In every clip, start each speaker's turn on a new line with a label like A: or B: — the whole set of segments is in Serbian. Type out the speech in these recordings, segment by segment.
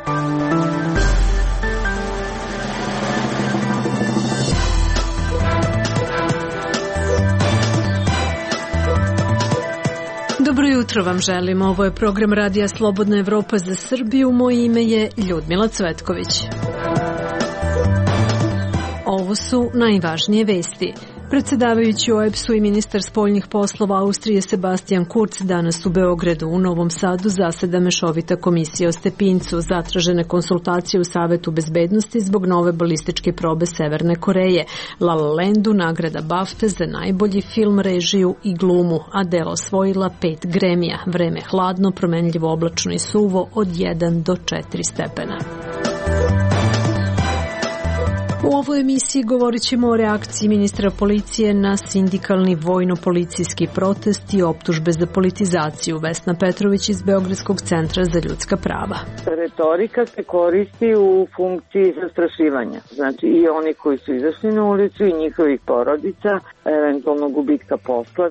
A: Dobro jutro vam želimo. Ovo je program Radija Slobodna Evropa za Srbiju. Moje ime je Ljudmila Cvetković. Ovo su najvažnije vesti. Predsedavajući OEBS-u i ministar spoljnih poslova Austrije Sebastian Kurz danas u Beogradu. U Novom Sadu zaseda mešovita komisija o Stepincu, zatražene konsultacije u Savetu bezbednosti zbog nove balističke probe Severne Koreje, La La Landu nagrada BAFTA za najbolji film, režiju i glumu, a delo osvojila 5 Gramija. Vreme hladno, promenljivo oblačno i suvo od 1 do 4 stepena. U ovoj emisiji govorit ćemo o reakciji ministra policije na sindikalni vojno-policijski protest i optužbe za politizaciju. Vesna Petrović iz Beogradskog centra za ljudska prava.
B: Retorika se koristi u funkciji zastrašivanja. Znači i oni koji su izašli na ulicu i njihovih porodica, eventualno gubitka posla.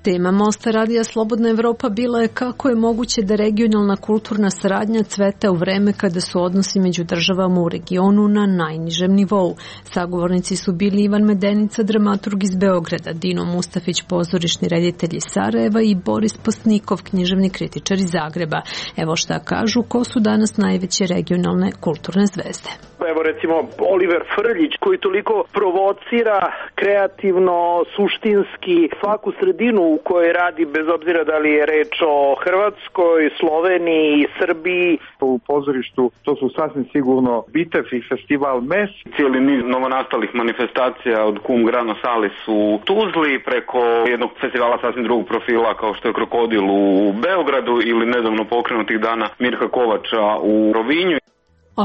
A: Tema Mosta Radija Slobodna Evropa bila je kako je moguće da regionalna kulturna saradnja cveta u vreme kada su odnosi među državama u regionu na najnižem nivou. Sagovornici su bili Ivan Medenica, dramaturg iz Beograda, Dino Mustafić, pozorišni reditelj iz Sarajeva i Boris Postnikov, književni kritičar iz Zagreba. Evo šta kažu, ko su danas najveće regionalne kulturne zvezde.
C: Evo recimo Oliver Frljić koji toliko provocira kreativno, suštinski svaku sredinu u kojoj radi, bez obzira da li je reč o Hrvatskoj, Sloveniji, Srbiji.
D: U pozorištu to su sasvim sigurno Bitev i festival MES.
E: Cijeli niz novonastalih manifestacija od Cum Grano Salis u Tuzli preko jednog festivala sasvim drugog profila kao što je Krokodil u Beogradu ili nedavno pokrenutih dana Mirka Kovača u Rovinju.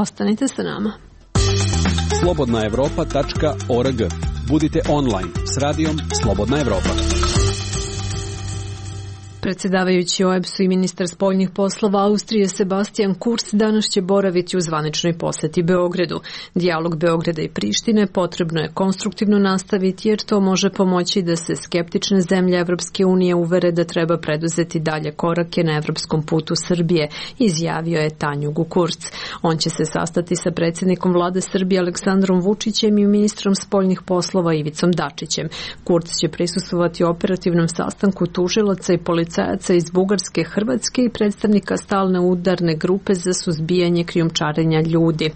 A: Ostanite sa nama.
F: slobodnaevropa.org. Budite online s radijom Slobodna Evropa.
A: Predsedavajući OEBS-u i ministar spoljnih poslova Austrije Sebastian Kurz danas će boraviti u zvaničnoj poseti Beogradu. Dijalog Beograda i Prištine potrebno je konstruktivno nastaviti jer to može pomoći da se skeptične zemlje Evropske unije uvere da treba preduzeti dalje korake na evropskom putu Srbije, izjavio je Tanjugu Kurz. On će se sastati sa predsjednikom vlade Srbije Aleksandrom Vučićem i ministrom spoljnih poslova Ivicom Dačićem. Kurz će prisustvovati operativnom sastanku tužilaca i policajaca iz Bugarske, Hrvatske i predstavnika stalne udarne grupe za suzbijanje krijumčarenja ljudi.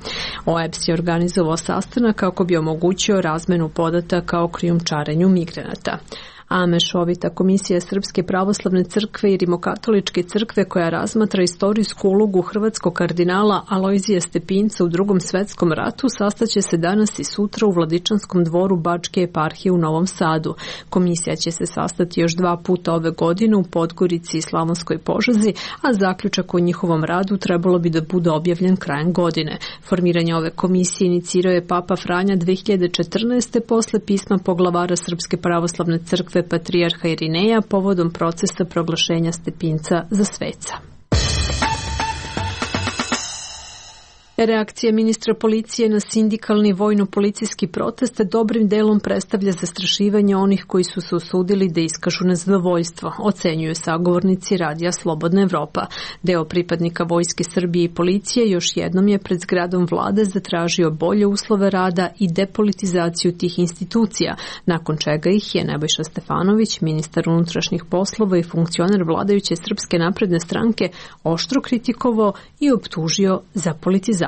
A: OEBS je organizovao sastanak kako bi omogućio razmenu podataka o krijumčarenju migranata. A mešovita komisija Srpske pravoslavne crkve i Rimokatoličke crkve koja razmatra istorijsku ulogu hrvatskog kardinala Alojzija Stepinca u Drugom svetskom ratu sastaće se danas i sutra u Vladičanskom dvoru Bačke eparhije u Novom Sadu. Komisija će se sastati još 2 puta ove godine u Podgorici i Slavonskoj Požegi, a zaključak o njihovom radu trebalo bi da bude objavljen krajem godine. Formiranje ove komisije inicirao je Papa Franja 2014. posle pisma poglavara Srpske pravoslavne crkve patrijarha Irineja povodom procesa proglašenja Stepinca za sveca. Reakcija ministra policije na sindikalni vojno-policijski protest dobrim delom predstavlja zastrašivanje onih koji su se usudili da iskažu nezadovoljstvo, ocenjuju sagovornici Radija Slobodna Evropa. Deo pripadnika Vojske Srbije i policije još jednom je pred zgradom vlade zatražio bolje uslove rada i depolitizaciju tih institucija, nakon čega ih je Nebojša Stefanović, ministar unutrašnjih poslova i funkcioner vladajuće Srpske napredne stranke, oštro kritikovao i optužio za politizaciju.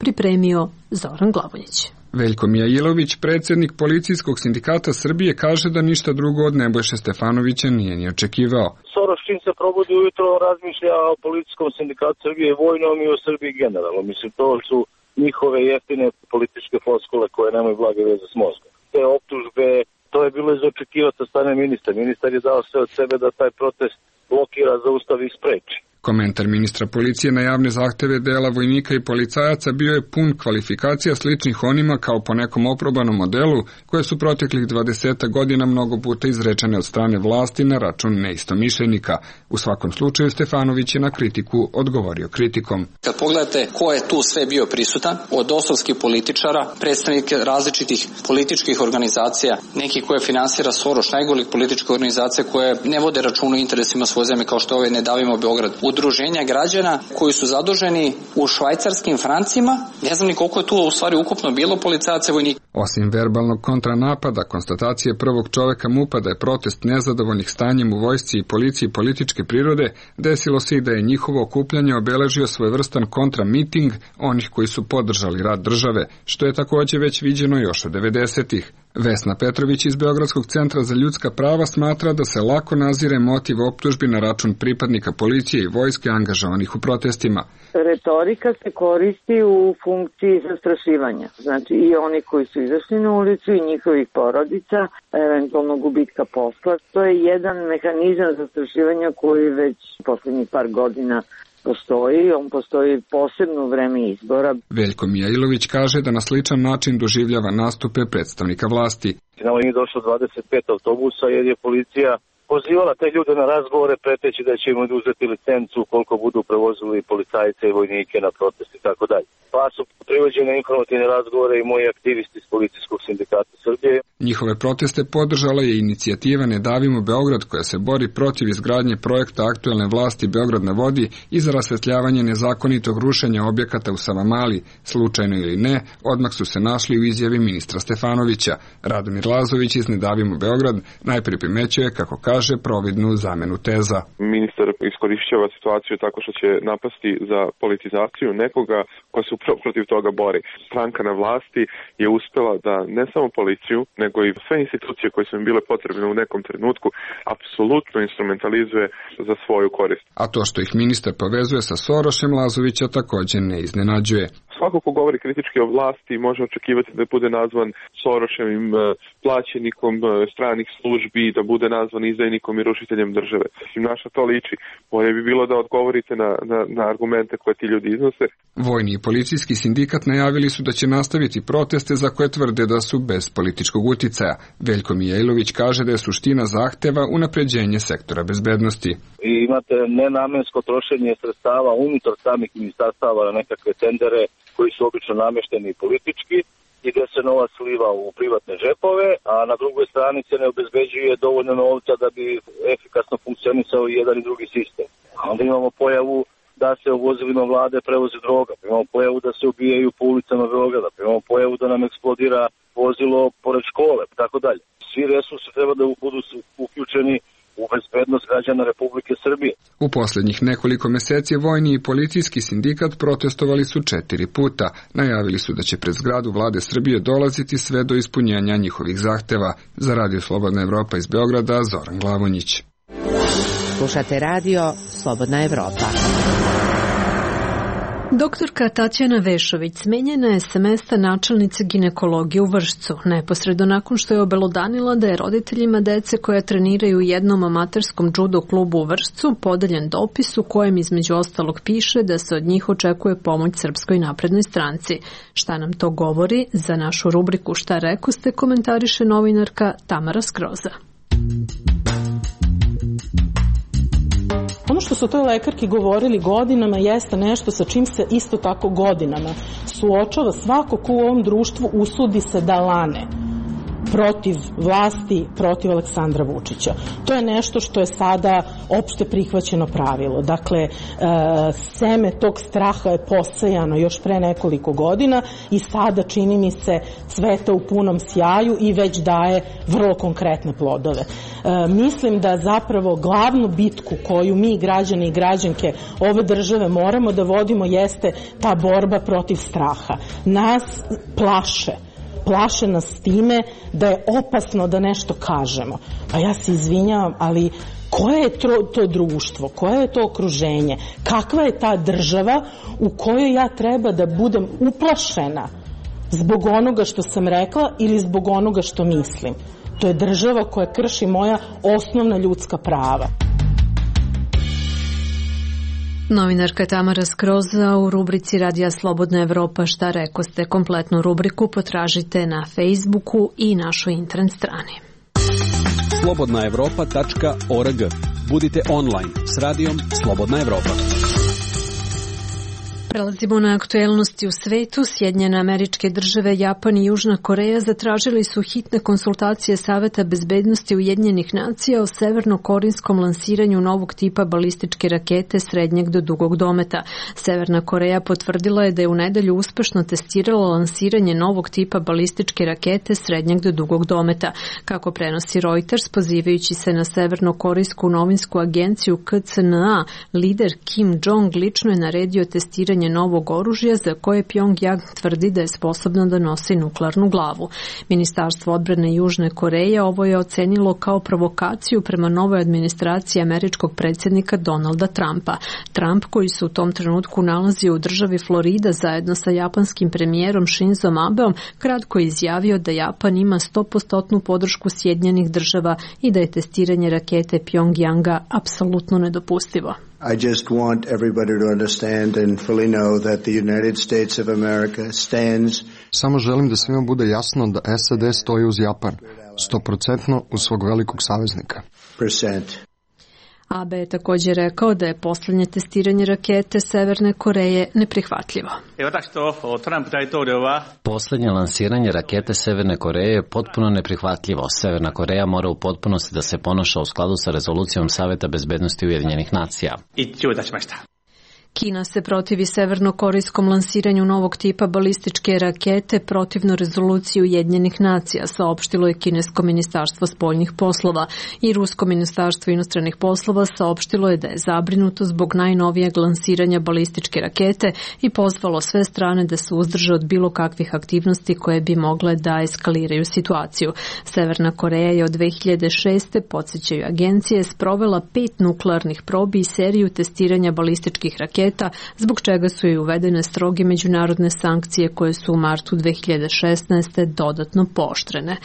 A: Pripremio Zoran Glavonjić.
G: Veljko Mijailović, predsjednik Policijskog sindikata Srbije, kaže da ništa drugo od Nebojše Stefanovića nije ni očekivao.
H: Soros čim se probudi ujutro razmišlja o Policijskom sindikatu Srbije vojnom i o Srbiji generalno. Mislim, to su njihove jeftine političke floskule koje nemaju blage veze s mozgom. Te optužbe, to je bilo za očekivati od strane ministra. Ministar je dao sve od sebe da taj protest blokira, zaustavi i spreči.
G: Komentar ministra policije na javne zahteve dela vojnika i policajaca bio je pun kvalifikacija sličnih onima kao po nekom oprobanom modelu koje su proteklih 20 godina mnogo puta izrečene od strane vlasti na račun neistomišljenika. U svakom slučaju Stefanović je na kritiku odgovorio kritikom.
I: Kad pogledate ko je tu sve bio prisutan, od dosovskih političara, predstavnike različitih političkih organizacija, neki koje finansira Soros, najgorih političkih organizacija koje ne vode računa o interesima svoje zemlje kao što je Ne davimo Beograd, udruženja građana koji su zaduženi u švajcarskim francima. Ne znam ni koliko je tu u stvari ukupno bilo policajaca i vojnika.
G: Osim verbalnog kontranapada, konstatacije prvog čoveka MUP-a da je protest nezadovoljnih stanjem u vojsci i policiji političke prirode, desilo se i da je njihovo okupljanje obeležio svojevrstan kontramiting onih koji su podržali rad države, što je takođe već viđeno još od 90-ih. Vesna Petrović iz Beogradskog centra za ljudska prava smatra da se lako nazire motiv optužbi na račun pripadnika policije i vojske angažovanih u protestima.
B: Retorika se koristi u funkciji zastrašivanja. Znači i oni koji su izašli na ulicu i njihovih porodica, eventualno gubitka posla. To je jedan mehanizam zastrašivanja koji već poslednjih par godina postoji, on postoji posebno u vreme izbora.
G: Veljko Mijailović kaže da na sličan način doživljava nastupe predstavnika vlasti.
H: Nama je došlo 25 autobusa jer je policija pozivala te ljude na razgovore preteći da će im oduzeti licencu koliko budu prevozili policajce i vojnike na protest i tako dalje. Pa su privođene informativne razgovore i moji aktivisti iz Policijskog sindikata Srbije.
G: Njihove proteste podržala je inicijativa Ne davimo Beograd koja se bori protiv izgradnje projekta aktuelne vlasti Beograd na vodi i za rasvetljavanje nezakonitog rušenja objekata u Savamali. Slučajno ili ne, odmah su se našli u izjavi ministra Stefanovića. Radomir Lazović iz Ne davimo Beograd najprije primećuje, kako kaže, providnu zamenu teza.
J: Ministar iskorišćava situaciju tako što će napasti za politizaciju nekoga ko se upravo protiv toga bori. Stranka na vlasti je uspela da ne samo policiju, nego i sve institucije koje su im bile potrebne u nekom trenutku apsolutno instrumentalizuje za svoju korist.
G: A to što ih ministar povezuje sa Sorošem, Lazovića takođe ne iznenađuje.
J: Svako ko govori kritički o vlasti može očekivati da bude nazvan Soroševim plaćenikom stranih službi, da bude nazvan izdajnikom i rušiteljem države. Naša to liči. Bolje bi bilo da odgovorite na argumente koje ti ljudi iznose.
G: Vojni i policijski sindikat najavili su da će nastaviti proteste za koje tvrde da su bez političkog uticaja. Veljko Mijailović kaže da je suština zahteva unapređenje sektora bezbednosti.
H: I imate nenamensko trošenje sredstava unutar samih ministarstava na nekakve tendere koji su obično namešteni politički i gde se novac sliva u privatne džepove, a na drugoj strani se ne obezbeđuje dovoljno novca da bi efikasno funkcionisao i jedan i drugi sistem. A onda imamo pojavu da se u vozilima vlade prevozi droga, imamo pojavu da se ubijaju po ulicama Beograda, imamo pojavu da nam eksplodira vozilo pored škole, tako dalje. Svi resursi treba da budu uključeni u bezbednost građana Republike Srbije.
G: U poslednjih nekoliko meseci vojni i policijski sindikat protestovali su 4 puta. Najavili su da će pred zgradu vlade Srbije dolaziti sve do ispunjenja njihovih zahteva. Za Radio Slobodna Evropa iz Beograda, Zoran Glavonjić.
K: Slušate radio Slobodna Evropa.
A: Doktorka Tatjana Vešović smenjena je sa mesta načelnice ginekologije u Vršcu, neposredno nakon što je obelodanila da je roditeljima dece koja treniraju u jednom amaterskom judo klubu u Vršcu podeljen dopis u kojem između ostalog piše da se od njih očekuje pomoć Srpskoj naprednoj stranci. Šta nam to govori? Za našu rubriku Šta rekoste komentariše novinarka Tamara Skroza.
L: Ono što su toj lekarki govorili godinama jeste nešto sa čim se isto tako godinama suočava svako ko u ovom društvu usudi se da lane protiv vlasti, protiv Aleksandra Vučića. To je nešto što je sada opšte prihvaćeno pravilo. Dakle, seme tog straha je posejano još pre nekoliko godina i sada, čini mi se, cveta u punom sjaju i već daje vrlo konkretne plodove. Mislim da zapravo glavnu bitku koju mi, građani i građanke ove države, moramo da vodimo jeste ta borba protiv straha. Nas plaše nas time da je opasno da nešto kažemo. Pa ja se izvinjavam, ali koje je to društvo, koje je to okruženje, kakva je ta država u kojoj ja treba da budem uplašena zbog onoga što sam rekla ili zbog onoga što mislim. To je država koja krši moja osnovna ljudska prava.
A: Novinarka Tamara Skroza u rubrici Radija Slobodna Evropa Šta rekoste. Kompletnu rubriku potražite na Facebooku i našoj internet strani.
F: slobodnaevropa.org. Budite online s radijom Slobodna Evropa.
A: Prelazimo na aktuelnosti u svetu. Sjedinjene Američke Države, Japan i Južna Koreja zatražili su hitne konsultacije Saveta bezbednosti Ujedinjenih nacija o severno-korinskom lansiranju novog tipa balističke rakete srednjeg do dugog dometa. Severna Koreja potvrdila je da je u nedelju uspešno testirala lansiranje novog tipa balističke rakete srednjeg do dugog dometa. Kako prenosi Reuters, pozivajući se na severno-korijsku novinsku agenciju KCNA, lider Kim Jong lično je naredio testiranje novog oružja za koje Pyongyang tvrdi da je sposobno da nosi nuklearnu glavu. Ministarstvo odbrane Južne Koreje ovo je ocenilo kao provokaciju prema novoj administraciji američkog predsjednika Donalda Trumpa. Trump, koji se u tom trenutku nalazio u državi Florida zajedno sa japanskim premijerom Shinzom Abeom, kratko je izjavio da Japan ima 100% podršku Sjedinjenih Država i da je testiranje rakete Pyongyanga apsolutno nedopustivo.
M: I just want everybody to understand and fully know that the United States of America stands.
N: Samo želim da svima bude jasno da SAD stoji uz Japan, 100% uz svog velikog saveznika.
A: Abe je također rekao da je poslednje testiranje rakete Severne Koreje neprihvatljivo.
O: Poslednje lansiranje rakete Severne Koreje je potpuno neprihvatljivo. Severna Koreja mora u potpunosti da se ponaša u skladu sa rezolucijom Saveta bezbednosti Ujedinjenih nacija.
A: Kina se protivi severno-korijskom lansiranju novog tipa balističke rakete protivno rezoluciji Ujedinjenih nacija, saopštilo je kinesko ministarstvo spoljnih poslova, i rusko ministarstvo inostranih poslova saopštilo je da je zabrinuto zbog najnovijeg lansiranja balističke rakete i pozvalo sve strane da se uzdrže od bilo kakvih aktivnosti koje bi mogle da eskaliraju situaciju. Severna Koreja je od 2006. podsjećaju agencije sprovela 5 nuklearnih probi i seriju testiranja balističkih raketa, zbog čega su i uvedene stroge međunarodne sankcije koje su u martu 2016. dodatno pooštrene.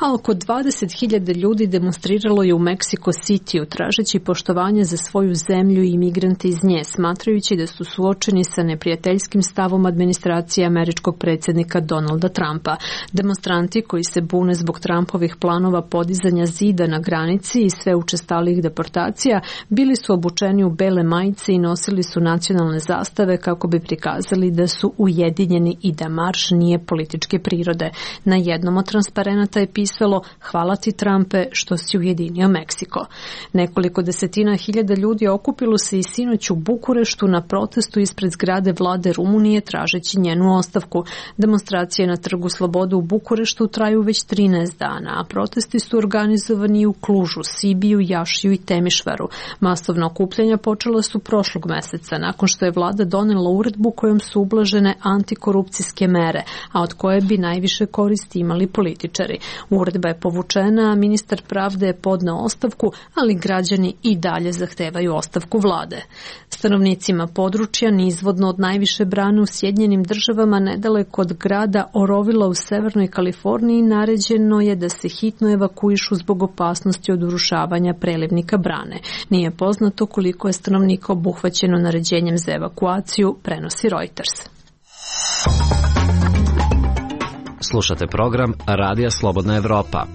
A: A oko 20.000 ljudi demonstriralo je u Mexico Cityu tražeći poštovanje za svoju zemlju i imigrante iz nje, smatrajući da su suočeni sa neprijateljskim stavom administracije američkog predsjednika Donalda Trumpa. Demonstranti koji se bune zbog Trumpovih planova podizanja zida na granici i sve učestalih deportacija bili su obučeni u bele majice i nosili su nacionalne zastave kako bi prikazali da su ujedinjeni i da marš nije političke prirode. Na jednom od transparenata je pisalo: "Hvala ti, Trumpe, što si ujedinio Meksiko." Nekoliko desetina hiljada ljudi okupilo se i sinoć u Bukureštu na protestu ispred zgrade vlade Rumunije tražeći njenu ostavku. Demonstracije na Trgu slobode u Bukureštu traju već 13 dana, a protesti su organizovani u Klužu, Sibiju, Jašiju i Temišvaru. Masovna okupljanja počela su prošlog meseca, nakon što je vlada donela uredbu kojom su ublažene antikorupcijske mere, a od koje bi najviše koristi imali političari. Uredba je povučena, a ministar pravde je podneo ostavku, ali građani i dalje zahtevaju ostavku vlade. Stanovnicima područja nizvodno od najviše brane u Sjedinjenim Državama nedaleko od grada Orovila u severnoj Kaliforniji naređeno je da se hitno evakuišu zbog opasnosti od urušavanja prelivnika brane. Nije poznato koliko je stanovnika obuhvaćeno naređenjem za evakuaciju, prenosi Reuters.
O: Slušate program Radija Slobodna Evropa.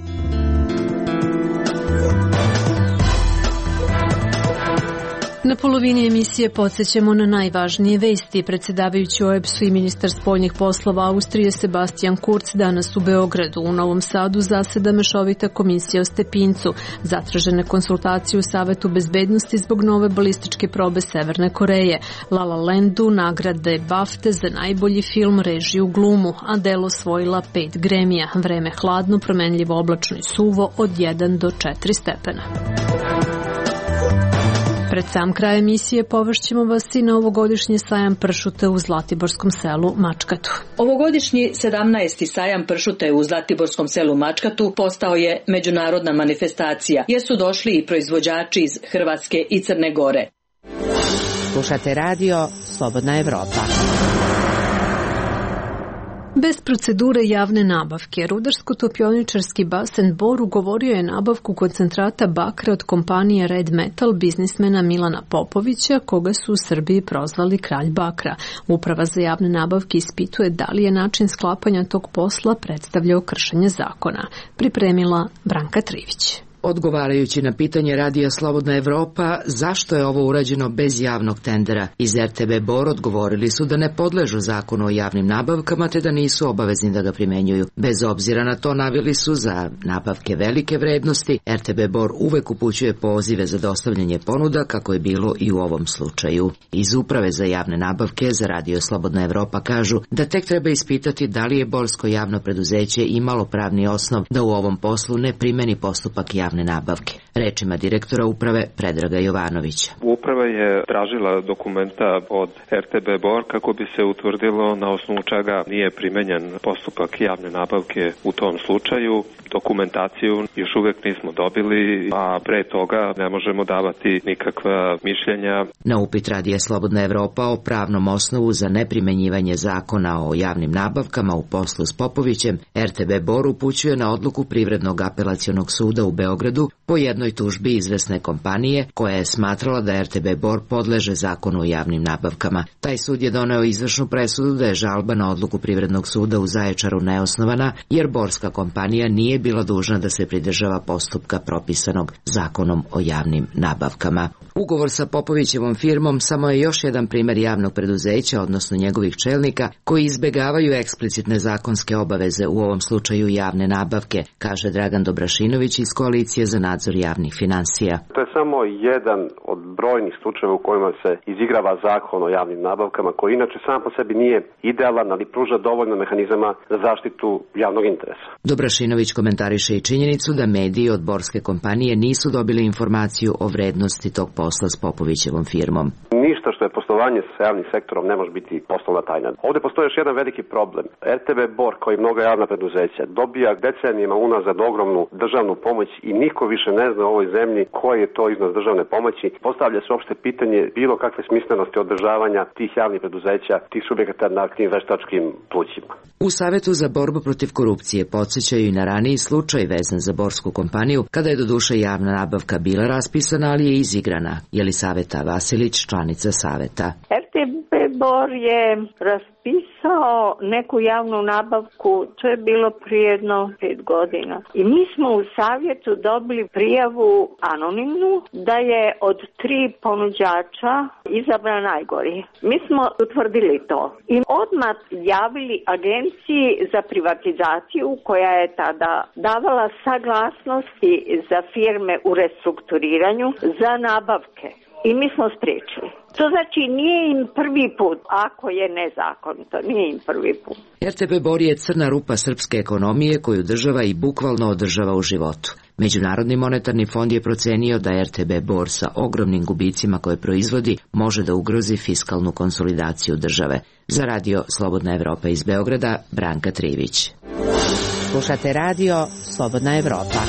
A: Na polovini emisije podsjećamo na najvažnije vesti. Predsjedavajući OEBS-u i ministar spoljnih poslova Austrije Sebastian Kurz danas u Beogradu. U Novom Sadu zaseda mešovita komisija o Stepincu. Zatražene konsultacije u Savetu bezbednosti zbog nove balističke probe Severne Koreje. La La Landu nagrade BAFTA za najbolji film, režiju, glumu, a delo osvojila 5 Gramija. Vreme hladno, promenljivo, oblačno i suvo od 1 do 4 stepena. Pred sam kraj emisije povešćemo vas i na ovogodišnji sajam pršuta u Zlatiborskom selu Mačkatu.
P: Ovogodišnji 17. sajam pršuta u Zlatiborskom selu Mačkatu postao je međunarodna manifestacija, jer su došli i proizvođači iz Hrvatske i Crne Gore.
K: Slušate radio Slobodna Evropa.
A: Bez procedure javne nabavke, rudarsko-topioničarski basen Bor ugovorio je nabavku koncentrata bakra od kompanije Red Metal biznismena Milana Popovića, koga su u Srbiji prozvali kralj bakra. Uprava za javne nabavke ispituje da li je način sklapanja tog posla predstavljao kršenje zakona. Pripremila Branka Trivić.
Q: Odgovarajući na pitanje Radija Slobodna Evropa zašto je ovo urađeno bez javnog tendera, iz RTB Bor odgovorili su da ne podležu zakonu o javnim nabavkama te da nisu obavezni da ga primenjuju. Bez obzira na to naveli su za nabavke velike vrednosti, RTB Bor uvek upućuje pozive za dostavljanje ponuda kako je bilo i u ovom slučaju. Iz Uprave za javne nabavke za Radio Slobodna Evropa kažu da tek treba ispitati da li je borsko javno preduzeće imalo pravni osnov da u ovom poslu ne primeni postupak javne nabavke. Rečima direktora uprave Predraga Jovanovića.
R: Uprava je tražila dokumenta od RTB Bor kako bi se utvrdilo na osnovu čega nije primenjen postupak javne nabavke u tom slučaju. Dokumentaciju još uvijek nismo dobili, a pre toga ne možemo davati nikakva mišljenja.
Q: Na upit Radija Slobodna Evropa o pravnom osnovu za neprimenjivanje zakona o javnim nabavkama u poslu s Popovićem, RTB Bor upućuje na odluku Privrednog apelacionog suda u Beogradu po jednoj tužbi izvesne kompanije koja je smatrala da RTB Bor podleže zakonu o javnim nabavkama. Taj sud je doneo izvršnu presudu da je žalba na odluku Privrednog suda u Zaječaru neosnovana, jer borska kompanija nije bila dužna da se pridržava postupka propisanog zakonom o javnim nabavkama. Ugovor sa Popovićevom firmom samo je još jedan primer javnog preduzeća, odnosno njegovih čelnika, koji izbegavaju eksplicitne zakonske obaveze, u ovom slučaju javne nabavke, kaže Dragan Dobrašinović iz Koalicije za nadzor javnih finansija.
S: To je samo jedan od brojnih slučajeva u kojima se izigrava zakon o javnim nabavkama, koji inače sam po sebi nije idealan, ali pruža dovoljno mehanizama za zaštitu javnog interesa.
Q: Dobrašinović komentariše i činjenicu da mediji od borske kompanije nisu dobili informaciju o vrednosti tog posla s Popovićevom firmom.
S: Ništa što je poslovanje sa javnim sektorom ne može biti poslovna tajna. Ovdje postoji još jedan veliki problem. RTB Bor, kao i mnoga javna preduzeća, dobija decenijima unazad ogromnu državnu pomoć i niko više ne zna u ovoj zemlji koji je to iznos državne pomoći. Postavlja se uopšte pitanje bilo kakve smislenosti održavanja tih javnih preduzeća, tih subjekata na tim veštačkim plućima.
Q: U Savetu za borbu protiv korupcije podsjećaju i na raniji slučaj vezan za borsku kompaniju, kada je doduše javna nabavka bila raspisana, ali je izigrana. Jelisaveta Vasilić, članica Saveta.
T: RTB Bor je raspisao neku javnu nabavku, to je bilo prije jedno 5 godina. I mi smo u Savjetu dobili prijavu anonimnu da je od 3 ponuđača izabran najgori. Mi smo utvrdili to i odmah javili Agenciji za privatizaciju koja je tada davala saglasnosti za firme u restrukturiranju za nabavke. I mi smo spriječili. To znači nije im prvi put, ako je nezakonito, nije im prvi put.
Q: RTB Bor je crna rupa srpske ekonomije koju država i bukvalno održava u životu. Međunarodni monetarni fond je procenio da RTB Bor sa ogromnim gubicima koje proizvodi može da ugrozi fiskalnu konsolidaciju države. Za Radio Slobodna Evropa iz Beograda, Branka Trivić.
K: Slušate Radio Slobodna Evropa.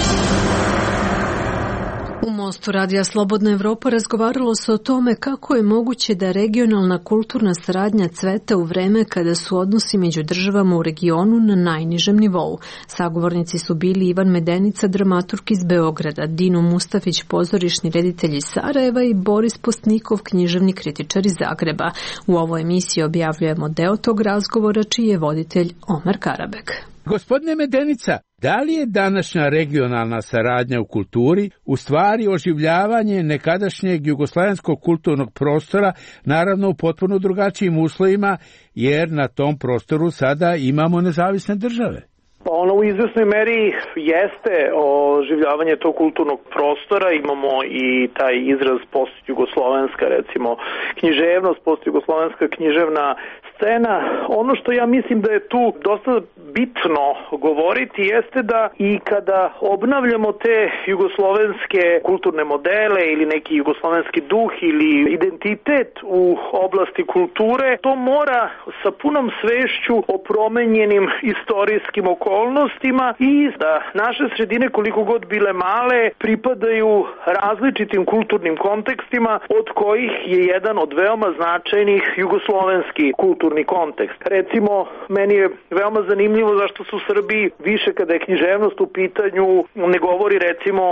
A: U Mostu Radija Slobodna Evropa razgovaralo se o tome kako je moguće da regionalna kulturna saradnja cveta u vreme kada su odnosi među državama u regionu na najnižem nivou. Sagovornici su bili Ivan Medenica, dramaturg iz Beograda, Dino Mustafić, pozorišni reditelj iz Sarajeva i Boris Postnikov, književni kritičar iz Zagreba. U ovoj emisiji objavljujemo deo tog razgovora čiji je voditelj Omer Karabek.
U: Gospodine Medenica, da li je današnja regionalna saradnja u kulturi u stvari oživljavanje nekadašnjeg jugoslavenskog kulturnog prostora, naravno u potpuno drugačijim uslovima, jer na tom prostoru sada imamo nezavisne države?
C: Ono u izvesnoj meri jeste oživljavanje tog kulturnog prostora, imamo i taj izraz postjugoslovenska, recimo književnost, postjugoslovenska književna scena. Ono što ja mislim da je tu dosta bitno govoriti jeste da i kada obnavljamo te jugoslovenske kulturne modele ili neki jugoslovenski duh ili identitet u oblasti kulture, to mora sa punom svešću o promenjenim istorijskim okolnostima i da naše sredine, koliko god bile male, pripadaju različitim kulturnim kontekstima, od kojih je jedan od veoma značajnih jugoslovenski kulturni kulturni kontekst. Recimo, meni je veoma zanimljivo zašto su Srbi više kada je književnost u pitanju ne govori recimo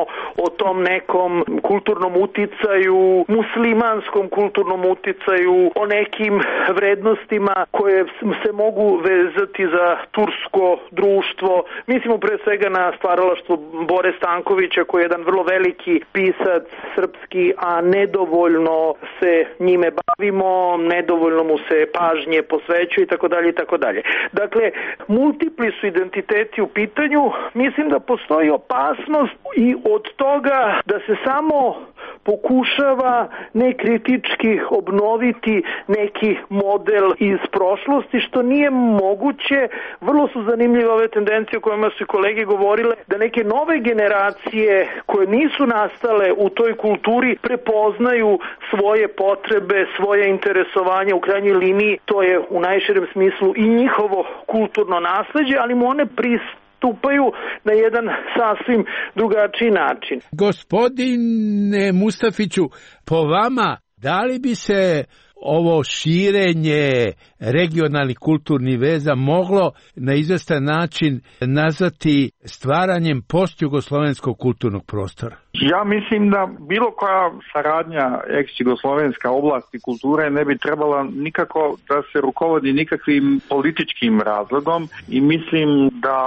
C: o tom nekom kulturnom uticaju, muslimanskom kulturnom uticaju, o nekim vrednostima koje se mogu vezati za tursko društvo. Mislimo pre svega na stvaralaštvo Bore Stankovića koji je jedan vrlo veliki pisac srpski, a nedovoljno se njime bavimo, nedovoljno mu se pažnje posvećuje i tako dalje i tako dalje. Dakle, multipli su identiteti u pitanju. Mislim da postoji opasnost i od toga da se samo pokušava nekritički obnoviti neki model iz prošlosti, što nije moguće. Vrlo su zanimljive ove tendencije o kojima su i kolege govorile, da neke nove generacije koje nisu nastale u toj kulturi prepoznaju svoje potrebe, svoje interesovanje, u krajnjoj liniji to je u najširem smislu i njihovo kulturno nasleđe, ali mu one pristupaju na jedan sasvim drugačiji način.
U: Gospodine Mustafiću, po vama, da li bi se ovo širenje regionalnih kulturnih veza moglo na izvestan način nazvati stvaranjem postjugoslovenskog kulturnog prostora?
D: Ja mislim da bilo koja saradnja ex-jugoslovenska oblasti kulture ne bi trebala nikako da se rukovodi nikakvim političkim razlogom i mislim da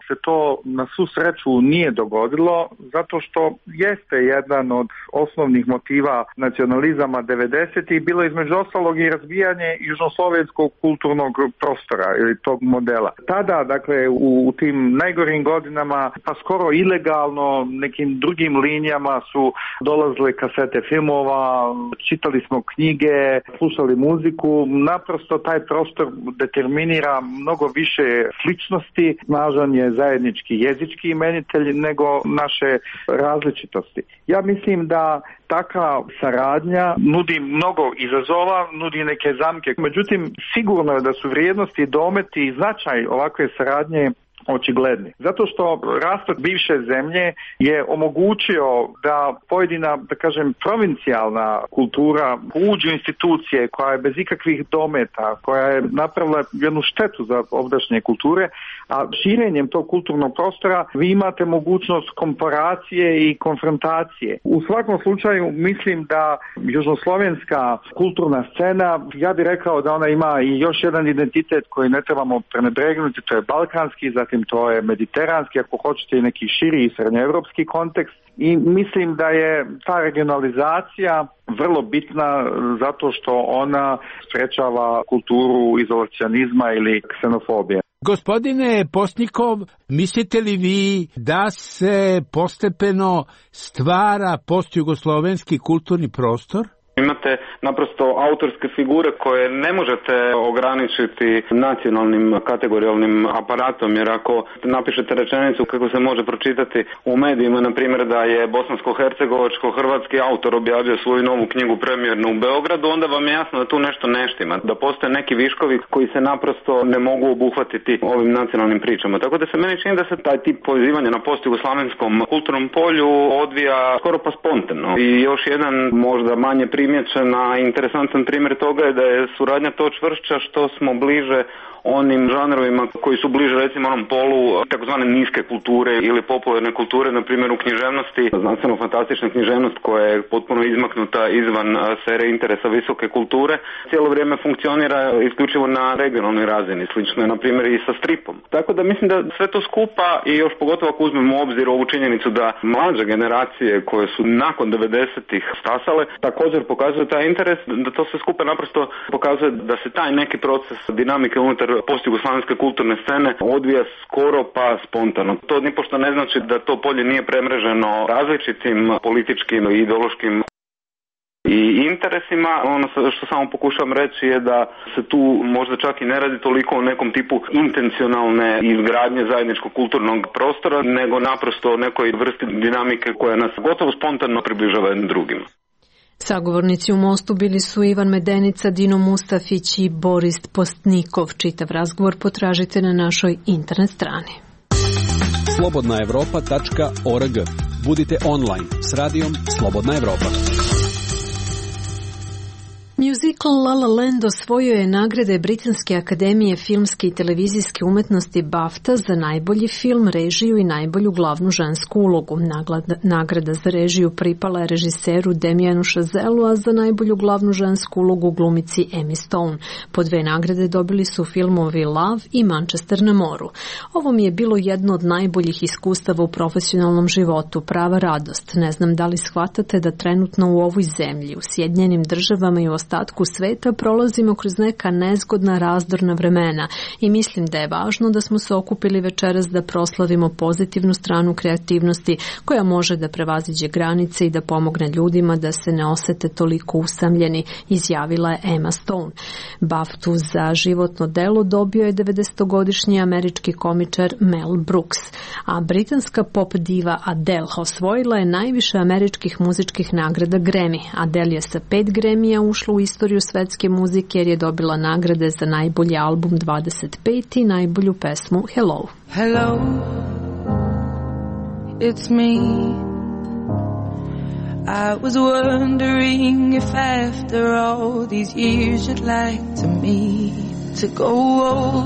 D: se to na svu sreću nije dogodilo zato što jeste jedan od osnovnih motiva nacionalizama 90-ih bilo između ostalog i razbijanje južnoslovenskog kulturnog prostora ili tog modela. Tada, dakle, u tim najgorim godinama, pa skoro ilegalno nekim drugim linijama su dolazile kasete filmova, čitali smo knjige, slušali muziku. Naprosto taj prostor determinira mnogo više sličnosti, snažan je zajednički jezički imenitelj nego naše različitosti. Ja mislim da takva saradnja nudi mnogo izazova, nudi neke zamke. Međutim, sigurno je da su vrijednosti, dometi i značaj ovakve saradnje očigledni. Zato što rastok bivše zemlje je omogućio da pojedina, da kažem, provincijalna kultura uđe u institucije koja je bez ikakvih dometa, koja je napravila jednu štetu za ovdašnje kulture, a širenjem tog kulturnog prostora vi imate mogućnost komparacije i konfrontacije. U svakom slučaju mislim da južnoslovenska kulturna scena, ja bih rekao da ona ima i još jedan identitet koji ne trebamo prenebregnuti, to je balkanski, zatim to je mediteranski, ako hoćete i neki širi i srednjoevropski kontekst. I mislim da je ta regionalizacija vrlo bitna zato što ona sprečava kulturu izolacionizma ili ksenofobije.
U: Gospodine Postnikov, mislite li vi da se postepeno stvara postjugoslovenski kulturni prostor?
E: Imate naprosto autorske figure koje ne možete ograničiti nacionalnim kategorijalnim aparatom, jer ako napišete rečenicu kako se može pročitati u medijima, na primjer da je bosansko-hercegovačko-hrvatski autor objavio svoju novu knjigu premijernu u Beogradu, onda vam je jasno da tu nešto ne štima, da postoje neki viškovi koji se naprosto ne mogu obuhvatiti ovim nacionalnim pričama. Tako da se meni čini da se taj tip povezivanja na postjugoslavenskom kulturnom polju odvija skoro pa spontano. I još jedan možda manje primjećena interesantan primjer toga je da je suradnja to čvršća što smo bliže onim žanrovima koji su bliže recimo onom polu takozvane niske kulture ili popularne kulture, na primjer u književnosti, znanstveno-fantastična književnost koja je potpuno izmaknuta izvan sfere interesa visoke kulture, cijelo vrijeme funkcionira isključivo na regionalnoj razini, slično je na primjer i sa stripom. Tako da mislim da sve to skupa i još pogotovo ako uzmemo u obzir ovu činjenicu da mlađe generacije koje su nakon 90-ih stasale također pokazuju taj interes, da to sve skupa naprosto pokazuje da se taj neki proces dinamike unutar postjugoslavenske kulturne scene odvija skoro pa spontano. To nipošto ne znači da to polje nije premreženo različitim političkim i ideološkim i interesima. Ono što samo pokušavam reći je da se tu možda čak i ne radi toliko o nekom tipu intencionalne izgradnje zajedničkog kulturnog prostora, nego naprosto o nekoj vrsti dinamike koja nas gotovo spontano približava jednim drugim.
A: Sagovornici u Mostu bili su Ivan Medenica, Dino Mustafić i Boris Postnikov. Čitav razgovor potražite na našoj internet strani.
F: Slobodnaevropa.org. Budite online s radijom Slobodna Evropa.
A: Musical La La Land osvojio je nagrade Britanske akademije filmske i televizijske umetnosti BAFTA za najbolji film, režiju i najbolju glavnu žensku ulogu. Nagrada za režiju pripala je režiseru Damienu Chazelu, a za najbolju glavnu žensku ulogu glumici Emmy Stone. Po 2 nagrade dobili su filmovi Love i Manchester na moru. Ovo mi je bilo jedno od najboljih iskustava u profesionalnom životu, prava radost. Ne znam da li shvatate da trenutno u ovoj zemlji, u Sjedinjenim Državama i u ostatku sveta prolazimo kroz neka nezgodna razdorna vremena i mislim da je važno da smo se okupili večeras da proslavimo pozitivnu stranu kreativnosti koja može da prevaziđe granice i da pomogne ljudima da se ne osete toliko usamljeni, izjavila je Emma Stone. BAFTA za životno delo dobio je 90-godišnji američki komičar Mel Brooks, a britanska pop diva Adele osvojila je najviše američkih muzičkih nagrada Grammy. Adele je sa 5 Grammyja ušla u istoriju svetske muzike jer je dobila nagrade za najbolji album 25 i najbolju pesmu Hello.
I: Hello, it's me. I was wondering if after all these years you'd like to me to go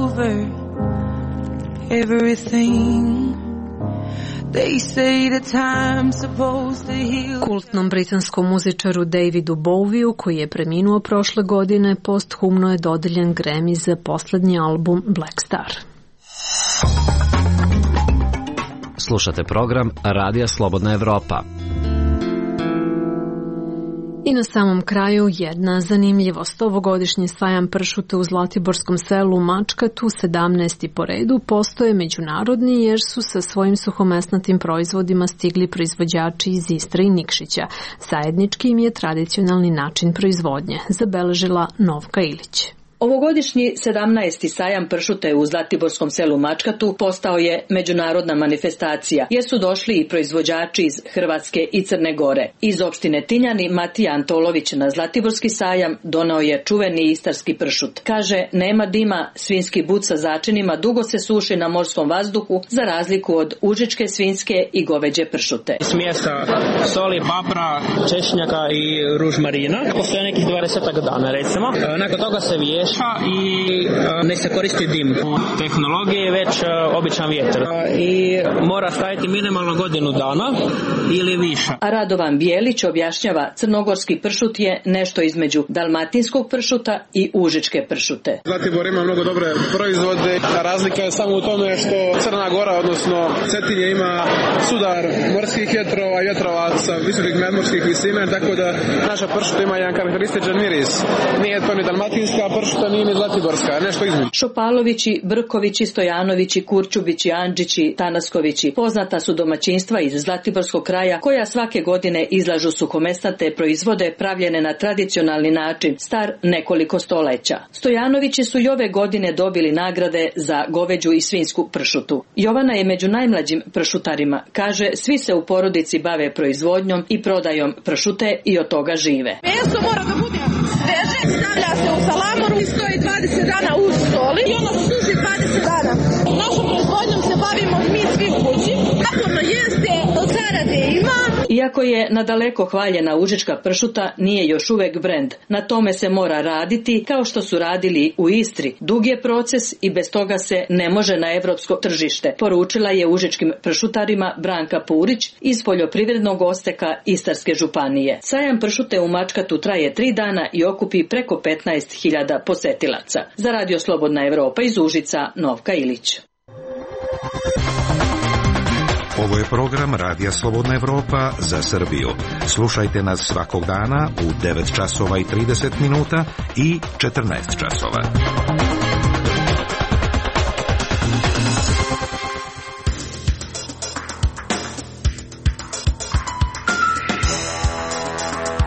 I: over everything.
A: Kultnom britanskom muzičaru Davidu Bowieu, koji je preminuo prošle godine, posthumno je dodeljen Grammy za poslednji album Black Star.
O: Slušate program Radija Slobodna Evropa.
A: I na samom kraju jedna zanimljivost. Ovogodišnji sajam pršuta u Zlatiborskom selu Mačkatu, 17. po redu, postoje međunarodni jer su sa svojim suhomesnatim proizvodima stigli proizvođači iz Istre i Nikšića. Zajednički im je tradicionalni način proizvodnje, zabeležila Novka Ilić.
P: Ovogodišnji 17. sajam pršuta u Zlatiborskom selu Mačkatu postao je međunarodna manifestacija, jer su došli i proizvođači iz Hrvatske i Crne Gore. Iz opštine Tinjani Matija Antolović na Zlatiborski sajam donao je čuveni istarski pršut. Kaže, nema dima, svinjski but sa začinima dugo se suši na morskom vazduhu, za razliku od užičke, svinjske i goveđe pršute.
V: Smjesta soli, papra, češnjaka i ružmarina. Postoje nekih 20 dana, recimo. Nakon toga se viješa i ne se koristi dim. Tehnologija je već običan vjetar i mora staviti minimalno godinu dana ili više.
P: A Radovan Bijelić objašnjava, crnogorski pršut je nešto između dalmatinskog pršuta i užičke pršute.
W: Zlatibor ima mnogo dobre proizvode, a razlika je samo u tome što Crna Gora, odnosno Cetinje, ima sudar morskih vjetrova i vjetrova sa visokih nadmorskih visina, tako da naša pršuta ima jedan karakterističan miris. Nije to ni dalmatinska pršuta, nije ni zlatiborska, nešto između.
P: Šopalovići, Brkovići, Stojanovići, Kurčubići, Andžići, Tanaskovići poznata su domaćinstva iz Zlatiborskog kraja koja svake godine izlažu suhomesnate proizvode pravljene na tradicionalni način, star nekoliko stoleća. Stojanovići su i ove godine dobili nagrade za goveđu i svinjsku pršutu. Jovana je među najmlađim pršutarima. Kaže, svi se u porodici bave proizvodnjom i prodajom pršute i od toga žive.
X: Meso mora da bude sveže, stavlja se u salamoru i stoji 20 dana u soli i ono suši 20 dana. Našom proizvodnjom se bavimo mi svi u kući. Naporno jeste, od zarade ima.
P: Iako je nadaleko hvaljena užička pršuta, nije još uvek brend. Na tome se mora raditi kao što su radili u Istri. Dug je proces i bez toga se ne može na evropsko tržište, poručila je užičkim pršutarima Branka Purić iz poljoprivrednog osteka Istarske županije. Sajam pršute u Mačkatu traje 3 dana i okupi preko 15.000 posetilaca. Za Radio Slobodna Evropa iz Užica, Novka Ilić.
Y: Ovo je program Radija Slobodna Evropa za Srbiju. Slušajte nas svakog dana u 9 časova i 30 minuta i 14 časova.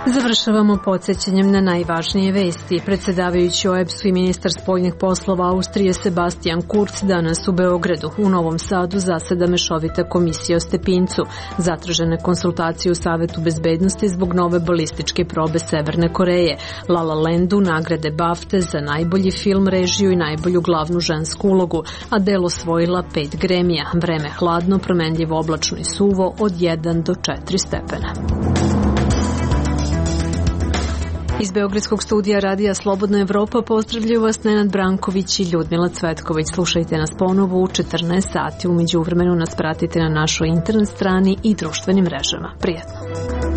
A: Završavamo podsjećanjem na najvažnije vesti. Predsedavajući OEBS-u i ministar spoljnih poslova Austrije Sebastian Kurz danas u Beogradu. U Novom Sadu zaseda mešovita komisija o Stepincu. Zatražene konsultacije u Savetu bezbednosti zbog nove balističke probe Severne Koreje. La La Landu nagrade BAFTA za najbolji film, režiju i najbolju glavnu žensku ulogu. Adele osvojila 5 Grammyja. Vreme hladno, promenljivo, oblačno i suvo od 1 do 4 stepena. Iz Beogradskog studija Radija Slobodna Evropa pozdravljaju vas Nenad Branković i Ljudmila Cvetković. Slušajte nas ponovo u 14 sati. U međuvremenu nas pratite na našoj internet strani i društvenim mrežama. Prijetno!